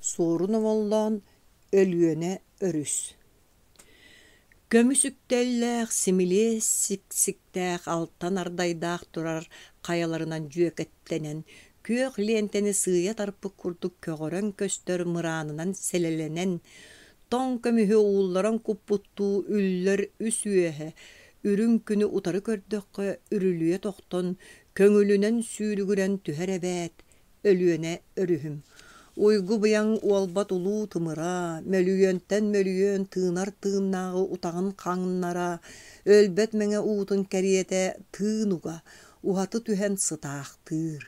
Суорун Омоллоон Өлүөнэ өрүс Көмүс үктэллээх, симилиэс сиксиктээх алтан ардайдаах турар хайаларынан дьүөкэттэнэн, күөх лиэнтэни сыыйа тарпыт курдук көҕөрөн көстөр мыраанынан сэлэлэнэн, тоҥ көмүһү уулларан куппуттуу үллэр үс үөһэ, үрүҥ күнү утары көрдөххө үрүлүйэ тохтон, көҥүлүнэн сүүрүгүрэн түһэр эбээт, Өлүөнэ өрүһүм. Уйгу-быйаҥ уолбат улуу тымыра, мөлүйүөнтэн мөлүйүөн тыынар тыыннааҕы утаҕын хаҥнара, өлбөт мэҥэ уутун кэриэтэ тыын уга, уһаты түһэн сытаахтыыр.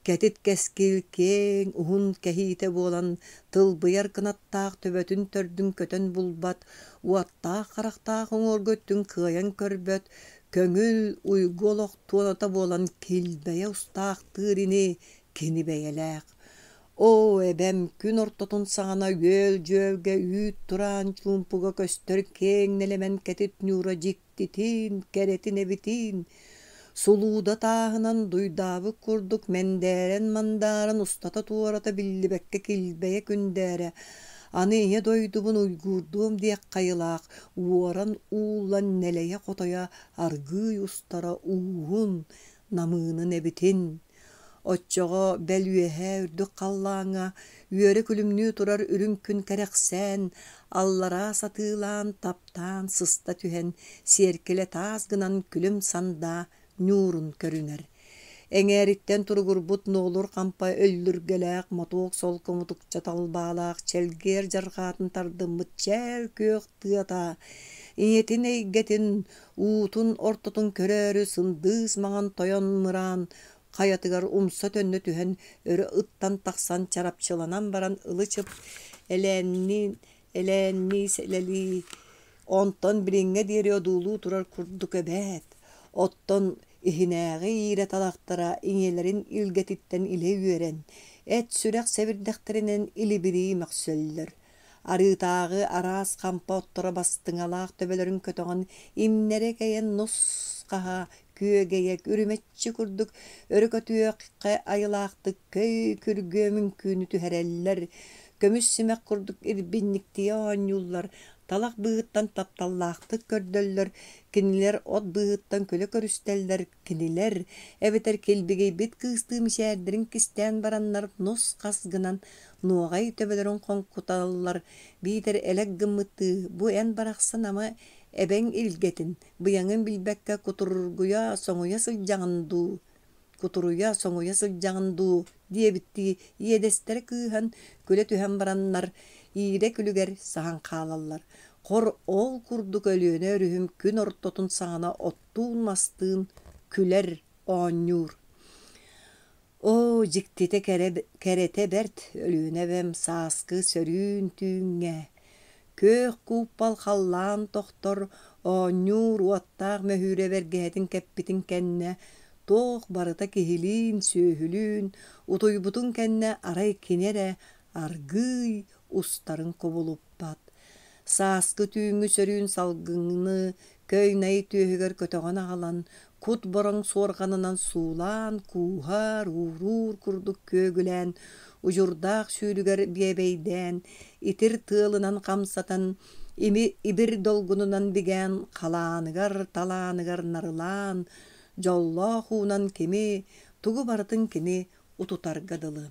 Кэтит кэскил киэҥ, уһун кэһиитэ буолан тылбыйар кынаттаах төбөтүн төрдүн көтөн булбат, уоттаах харахтаах уҥуоргу өттүн кыайан көрбөт, көҥүл, уйгу олох туоната буолан килбэйэ устаахтыыр ини кини бэйэлээх. Оо, эбэм күн ортотун саҕана үөл-дьүөлгэ үүт тураан чуумпуга көстөр киэҥ нэлэмэн кэтит ньуура дьиктитин, кэрэтин эбитин! Сулууда тааһынан дуйдаабыт курдук мэндээрэн-мандааран устата-туората биллибэккэ килбэйэ күндээрэ, аны ийэ дойдубун уйгуурдуом диэх хайылаах уоран ууллан нэлэйэ-хотойо аргыый устара ууһун, намыынын эбитин. Оччоҕо бэл үөһээ үрдүк халлааҥҥа үөрэ күлүмнүү турар үрүҥ күн кэрэхсээн, аллараа сатыылаан, таптаан сыста түһэн, сиэркилэ таас гынан күлүм сандаа ньуурун көрүнэр. Эҥээриттэн туругурбут нуолур хампа өллүргэлээх мотуок солко мутукча талбаалаах чэлгиэр дьарҕаатын тардыммыт чээл күөх тыата ийэтин эйгэтин уутун ортотун көрөөрү сындыыс маҥан тойон мыраан хайатыгар умса-төннө түһэн өрө ыттан тахсан чарапчыланан баран ылы-чып элээннии элээннии сэлэлии онтон билиҥҥэ диэри одуулуу турар курдук эбээт оттон иһинээҕи иирэ талахтара ийэлэрин илгэтиттэн илэ үөрэн эт сүрэх сэбирдэхтэринэн илибирии мөхсөллөр Арыытааҕы араас хампа отторо бастыҥалаах төбөлөрүн көтөҕөн, имнэрэ кэйэн нус-хаһа, күөгэйэ, үрүмэччи курдук өрө көтүөххэ айылаахтык көй күргүөм үҥкүүнү түһэрэллэр, көмүс симэх курдук ирбинньиктийэ оонньууллар, талах быыһыттан тапталлаахтык көрдөллөр, кинилэр от быыһыттан күлэ көрүстэллэр, Кинилэр, эбэтэр килбигийбит кыыстыы мичээрдэрин кистээн бараннар нус-хас гынан нуоҕай төбөлөрүн хоҥкуталлар, биитэр элэк гыммыттыы бу эн барахсан ама эбэҥ илгэтин, быйаҥын билбэккэ кутургуйа соҥуйа сылдьаҕын дуу, кутуруйа соҥуйа сылдьаҕын дуу диэбиттии иэдэстэрэ кыыһан күлэ түһэн бараннар иирэ күлүгэр саһан хаалаллар. Хор ол курдук Өлүөнэ өрүһүм күн ортотун саҕана от оттуун-мастыын күлэр, оонньуур. Оо, дьиктитэ кэрэ, кэрэтэ бэрт Өлүөнэ эбэм сааскы сөрүүн түүҥҥэ күөх кууппал халлаан тохтор, оонньуур уоттаах мөһүүрэ бэргэһэтин кэппитин кэннэ туох барыта киһилиин, сүөһүлүүн утуйбутун кэннэ арай кини эрэ аргыый устарын кубулуппат. Сааскы түүҥҥү сөрүүн салгыны көй-най түөһүгэр көтөҕөн аҕалан, кут бороҥ суорҕанынан суулаан, кууһар, ууруур курдук күөгүлээн, удьурдаах сүүрүгэр биэбэйдээн, итир тыалынан хамсатан, ими ибир долгунунан бигээн, халааныгар, талааныгар нарылаан, дьоллоох уунан кими, тугу барытын кини утутарга дылы.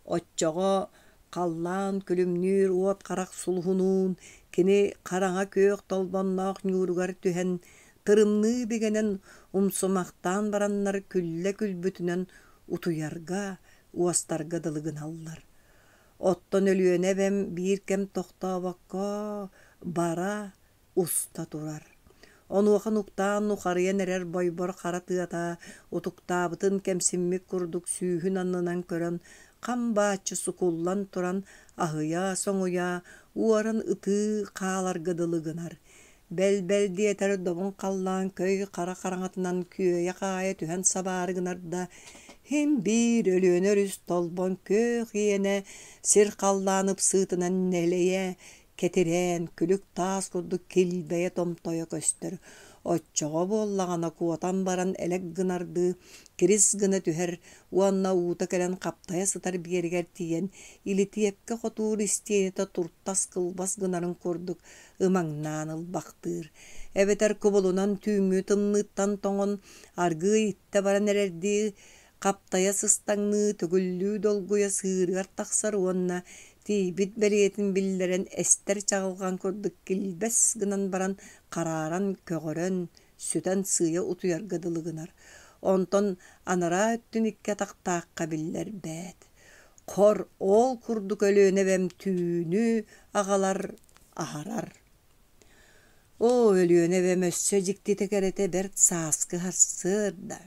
Оччоҕо халлаан күлүмнүүр уот харах сулуһунуун кини хараҥа күөх толбонноох ньууругар түһэн, тырымныы бигэнэн умсумахтаан бараннар күллэ күлбүтүнэн утуйарга, уостарга дылы гыналлар. Оттон Өлүөнэ эбэм биир кэм тохтообокко бара, уста турар. Онуоха нуктаан нухарыйан эрэр бойбор хара тыата утуктаабытын кэмсиммит курдук сүүһүн аннынан көрөн хам бааччы сукуллан туран аһыйа-соҥуйа уоран ытыы хааларга дылы гынар. Бэл-бэл диэтэр добун халлаан көй хара хараҥатынан күөйэ-хаайа түһэн сабаары гынар да, син биир Өлүөнэ өрүс толбон күөх иэнэ сир халлаан ыпсыытынан нэлэйэ кэтирээн, күлүк таас курдук килбэйэ томтойо көстөр. Оччоҕо буоллаҕына куотан баран элэк гынардыы кирис гына түһэр уонна уута кэлэн хаптайа сытар биэрэгэр тиийэн, илитиэпкэ хотуур истиэнэтэ туртас кылбас гынарын курдук ымаҥнаан ылбахтыыр. Эбэтэр кубулунан түүҥҥү тымныыттан тоҥон, аргыый иттэ баран эрэрдии хаптайа сыстаҥныы, төгүллүү долгуйа сыырыгар тахсар уонна тиийбит бэлиэтин биллэрэн эстэр чаҕылҕан курдук килбэс гынан баран харааран, көҕөрөн, сүтэн сыыйа утуйарга дылы гынар. Онтон анараа өттүн икки атахтаахха биллэрбэт. Хор, ол курдук Өлүөнэ эбэм түүнү аҕалар, аһарар. Оо, Өлүөнэ эбэм өссө дьиктитэ кэрэтэ бэрт сааскы сарсыарда.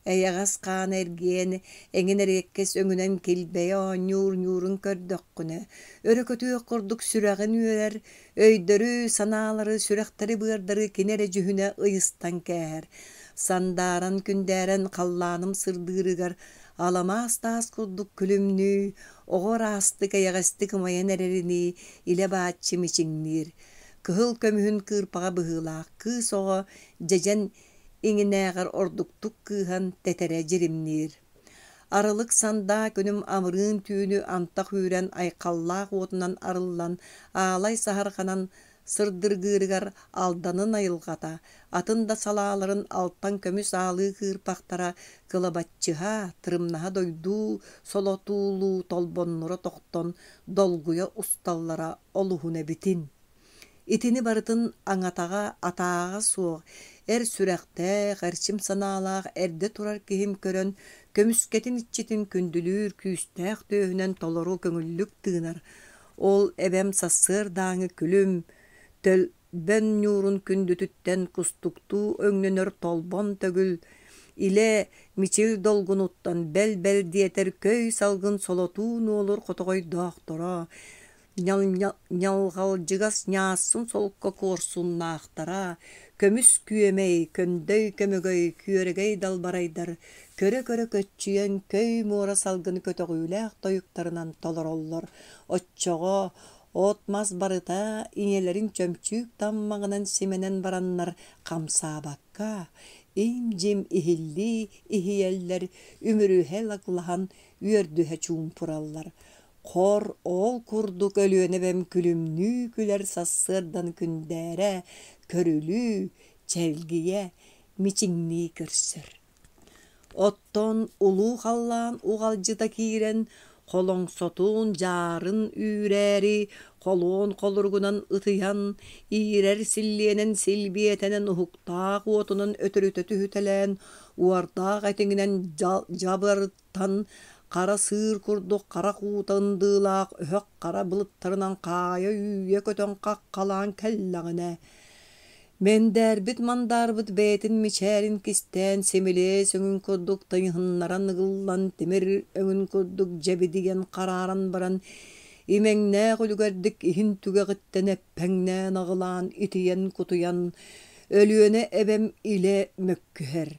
Эйэҕэс хаана эргийэн, эҥин эриэккэс өҥүнэн килбэйэ оонньуур ньуурун көрдөххүнэ, өрө көтүөх курдук сүрэҕин үөрэр, өйдөрү, санаалары, сүрэхтэри-быардары кини эрэ дьүһүнэ ыйыстан кээһэр. Сандааран, күндээрэн халлааным сырдыырыгар аламаас таас курдук күлүмнүү, оҕо ыраастык, эйэҕэстик ымайан эрэринии илэ-бааччы мичиҥниир. Кыһыл көмүһүн кыырпаҕа быһыылаах кыыс оҕо дьэдьэн иҥинээҕэр ордуктук кыыһан тэтэрэ дьиримниир. Арылык сандаа күнүм амырыын түүнү антах үүрэн айхаллаах уотунан арыллан, аалай саһарҕанан сырдыргыырыгар Алданын айылҕата, атын да салааларын алтан көмүс аалыы кыырпахтара кылабаччыһа, тырымнаһа дойдуу солотуулуу толбоннура тохтон долгуйа усталлара олуһун эбитин. Итини барытын аҥатаҕа, атааҕа суох, эр сүрэхтээх, эрчим санаалаах эрдэ турар киһим көрөн, көмүскэтин иччитин күндүлүүр күүстээх түөһүнэн толору көҥүллүк тыынар. Ол эбэм сарсыардааҥы күлүм, төлбөн ньуурун күндүтүттэн кустуктуу өҥнөнөр толбон төгүл, илэ мичил долгунуттан бэл-бэл диэтэр көй салгын солотуу нуолур хотоҕойдоохторо, Ньалҕалдьыгас ньаассын солко куорсуннаахтара, көмүс күөмэй, көҥдөй көмөгөй, күөрэгэй далбарайдар көрө-көрө көччүйэн көй муора салгыны көтөҕүүлээх тойуктарынан толороллор. Оччоҕо от-мас барыта ийэлэрин чөмчүүк таммаҕынан симэнэн бараннар хамсаабакка, им-дьим иһиллии иһийэллэр, үмүрүһэ лаглаһан үөрдүһэ чуумпураллар. Хор ол курдук Өлүөнэ эбэм күлүмнүү күлэр сарсыардан күндээрэ, көрүлүү, чэлгийэ, мичиҥнии көрсөр. Оттон улуу халлаан уҕалдьыта киирэн, холоҥсотун, дьаарын үүрээри, холуон холоругунан ытыйан, иирэр силлиэнэн силбиэтэнэн уһуктаах уотунан өтөрүтэ түһүтэлээн, уордаах этиҥинэн дьабарыт Тан хара сыыр курдук харах уута ындыылаах өһөх хара былыттарынан хаайа-үүйэ көтөн хаххалаан кэллэҕинэ, мэндээрбит-мандаарбыт бэйэтин мичээрин кистээн симилиэс өҥүн курдук тыйыһыннаран ыгыллан тимир өҥүн курдук дьэбидийэн харааран баран имэҥнээх үлүгэрдик иһин түгэҕиттэн эппэҥнээн аҕылаан итийэн-кутуйан Өлүөнэ эбэм илэ мөккүһэр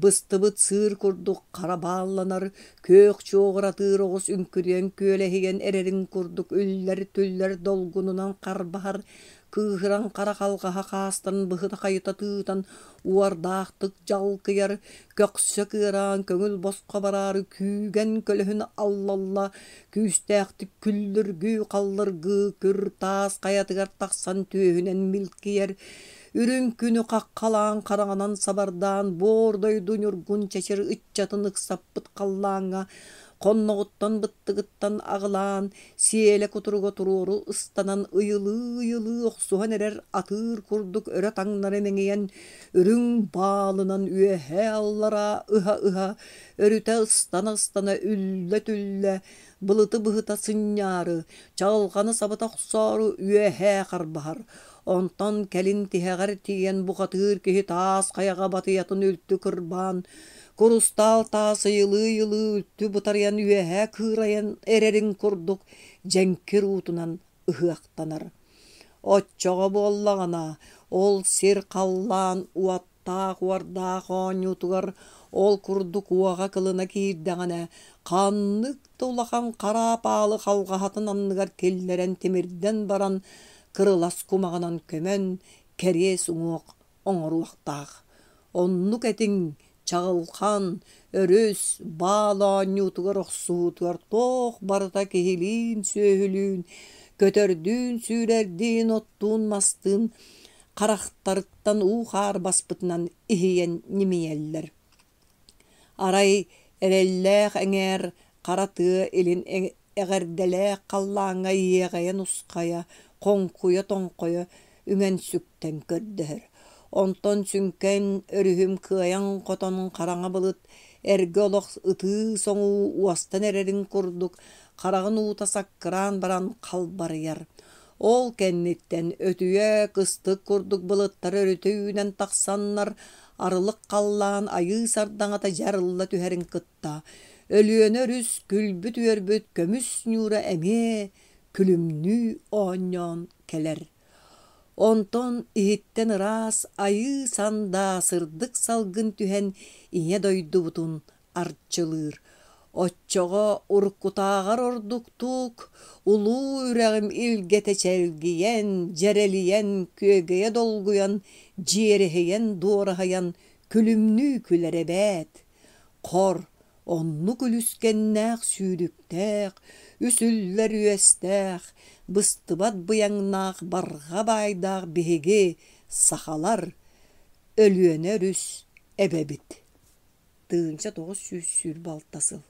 Быстыбыт сыыр курдук хара баалланар, күөх чуоҕуратыыр оҕус үҥкүрүйэн күөлэһийэн эрэрин курдук үллэр-түллэр долгунунан харбаһар, кыыһыран хара халҕаһа хаастарын быһыта-хайыта тыытан уордаахтык дьалкыйар, көхсө кыараан көҥүл босхо бараары күүгэн көлөһүн аллалла, күүстээхтик күллүргүү-халлыргыы күр таас хайатыгар тахсан түөһүнэн милкийэр, Үрүҥ күнү хаххалаан хараҥанан сабардаан буор дойду ньургун чэчир ыччатын ыксаппыт халлааҥҥа хонноҕуттан быттыгыттан аҕылаан, сиэлэ кутуруга туруору ыстанан ыйылыы-ыйылыы охсуһан эрэр атыыр курдук өрө таҥнары мэҥийэн, үрүҥ баалынан үөһээ-аллараа ыһа-ыһа, өрүтэ ыстана-ыстана үллэ-түллэ, былыты быһыта сынньаары, чаҕылҕаны сабыта охсоору үөһээ харбаһар. Онтон кэлин тиһэҕэр тиийэн бухатыыр киһи таас хайаҕа батыйатын үлтү кырбаан, курустаал таас ыйылыы-ыйылыы үлтү бытарыйан үөһээ кыырайан эрэрин курдук дьэҥкир уутунан ыһыахтанар. Оччоҕо буоллаҕына, ол сир халлаан уоттаах-уордаах оонньуутугар ол курдук уоҕа-кылына киирдэҕинэ, ханнык да улахан хараап аалы халҕаһатын анныгар киллэрэн тимирдэн баран кырылас кумаҕынан көмөн, кэриэс уҥуох оҥоруохтаах. Оннук этиҥ, Чаҕылхан, өрүс, баал оонньуутугар охсуһуутугар туох барыта киһилиин-сүөһүлүүн, көтөрдүүн-сүүрэрдиин, оттуун-мастыын харахтарыттан уу-хаар баспытынан иһийэн ньимийэллэр. Арай эрэллээх эҥээр хара тыа илин эҕэрдэлээх халлааҥҥа иэҕэйэн усхайа, хоҥкуйа-тоҥхойо үҥэн-сүктэн көрдөһөр. Онтон сүҥкэн өрүһүм кыайан-хотон хараҥа былыт эргэ олох ытыы-соҥуу уостан эрэрин курдук хараҕын уута саккыраан баран халбарыйар. Ол кэнниттэн өтүйэ кыстык курдук былыттар өрүтэ үүнэн тахсаннар, арылык халлаан айыы сардаҥата дьарылла түһэрин кытта, Өлүөнэ өрүс күлбүт-үөрбүт көмүс ньуура эмиэ күлүмнүү оонньоон кэлэр. Онтон иһиттэн ыраас айыы сандаа сырдык салгын түһэн ийэ дойдубутун арчылыыр. Оччоҕо уруккутааҕар ордуктук улуу үрэҕим илгэтэ чэлгийэн, дьэрэлийэн, күөгэйэ долгуйан, дьиэрэһийэн, дуораһыйан күлүмнүү күлэр эбээт. Хор, оннук үлүскэннээх сүүрүктээх, үс үллэр үөстээх, быстыбат быйаҥнаах барҕа баайдаах биһиги, сахалар, Өлүөнэ өрүс эбэбит. 1926 сыл.